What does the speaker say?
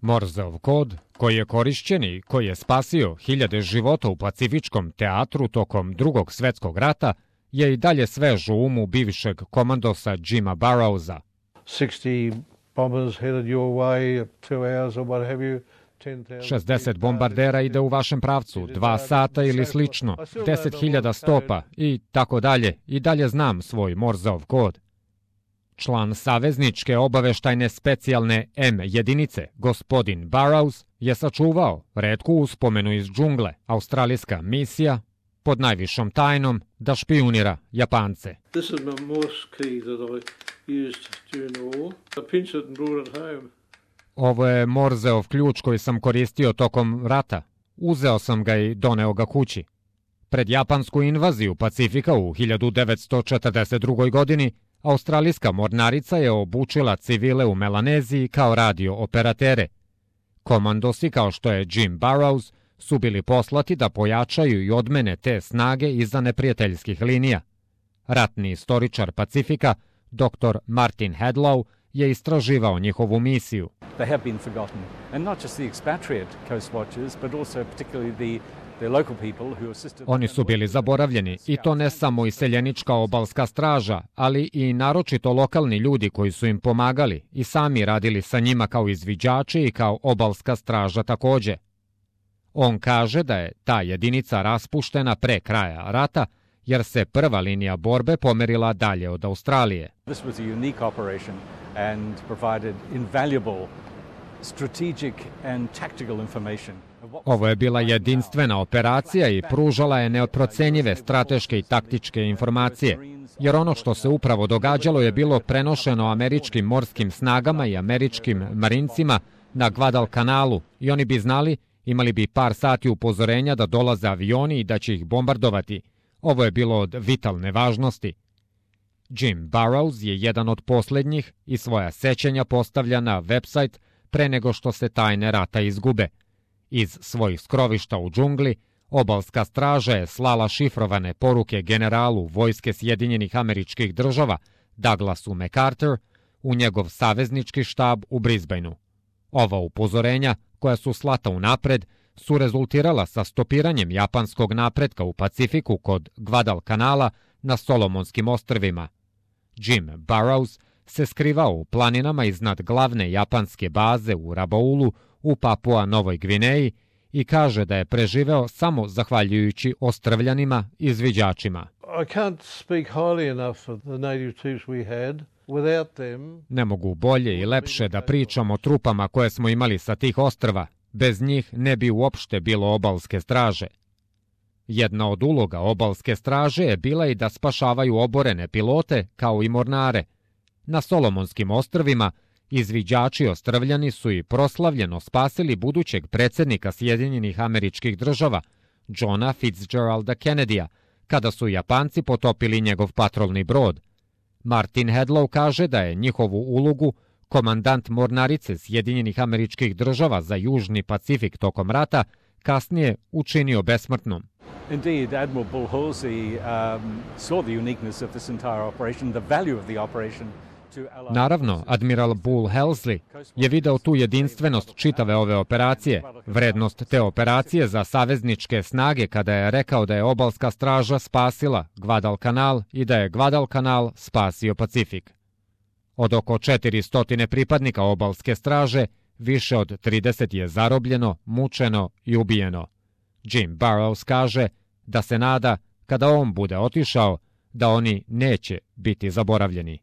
Morzeov kod, koji je korišćen i koji je spasio hiljade života u Pacifičkom teatru tokom Drugog svetskog rata, je i dalje svež u umu bivšeg komandosa Jima Burroughsa. 60 bombardera ide u vašem pravcu, 2 sata ili slično, 10.000 stopa i tako dalje. I dalje znam svoj Morzeov kod. Član savezničke obaveštajne specijalne M jedinice, gospodin Burroughs, je sačuvao retku uspomenu iz džungle, australijska misija, pod najvišom tajnom da špijunira Japance. Ovo je Morzeov ključ koji sam koristio tokom rata. Uzeo sam ga i doneo ga kući. Pred japansku invaziju Pacifika u 1942. godini australijska mornarica je obučila civile u Melaneziji kao radio operatere. Komandosi kao što je Jim Burroughs su bili poslati da pojačaju i odmene te snage iza neprijateljskih linija. Ratni istoričar Pacifika, dr. Martin Hadlow, je istraživao njihovu misiju. They have been forgotten, and not just the expatriate coast watchers, but also particularly the local people who assisted. Oni su bili zaboravljeni, i to ne samo iseljenička obalska straža, ali i naročito lokalni ljudi koji su im pomagali i sami radili sa njima kao izviđači i kao obalska straža takođe. On kaže da je ta jedinica raspuštena pre kraja rata, jer se prva linija borbe pomerila dalje od Australije. This was a unique operation and provided invaluable strategic and tactical information. Ovo je bila jedinstvena operacija i pružala je neprocenjive strateške i taktičke informacije, jer ono što se upravo događalo je bilo prenošeno američkim morskim snagama i američkim marincima na Guadalcanalu i oni bi znali, imali bi par sati upozorenja da dolaze avioni i da će ih bombardovati. Ovo je bilo od vitalne važnosti. Jim Burroughs je jedan od posljednjih i svoja sećanja postavlja na website pre nego što se tajne rata izgube. Iz svojih skrovišta u džungli, obalska straža je slala šifrovane poruke generalu vojske Sjedinjenih Američkih Država, Douglasu MacArthur, u njegov saveznički štab u Brisbaneu. Ova upozorenja, koja su slata unapred, su rezultirala sa stopiranjem japanskog napretka u Pacifiku kod Guadalcanala na Solomonskim ostrvima. Jim Burroughs se skrivao u planinama iznad glavne japanske baze u Rabaulu u Papua Novoj Gvineji i kaže da je preživeo samo zahvaljujući ostrvljanima i izviđačima. Ne mogu bolje i lepše da pričam o trupama koje smo imali sa tih ostrva. Bez njih ne bi uopšte bilo obalske straže. Jedna od uloga obalske straže je bila i da spašavaju oborene pilote kao i mornare. Na Solomonskim ostrvima izviđači ostrvljani su i proslavljeno spasili budućeg predsjednika Sjedinjenih Američkih Država, Johna Fitzgeralda Kennedya, kada su Japanci potopili njegov patrolni brod. Martin Hadlow kaže da je njihovu ulogu komandant mornarice Sjedinjenih Američkih Država za Južni Pacifik tokom rata kasnije učinio besmrtnom. Indeed, Admiral Bull Halsey saw the uniqueness of this entire operation, the value of the operation. Naravno, admiral Bull Halsey je video tu jedinstvenost čitave ove operacije, vrednost te operacije za savezničke snage kada je rekao da je obalska straža spasila Guadalcanal i da je Guadalcanal spasio Pacifik. Od oko 400 pripadnika obalske straže, više od 30 je zarobljeno, mučeno i ubijeno. Jim Burroughs kaže da se nada, kada on bude otišao, da oni neće biti zaboravljeni.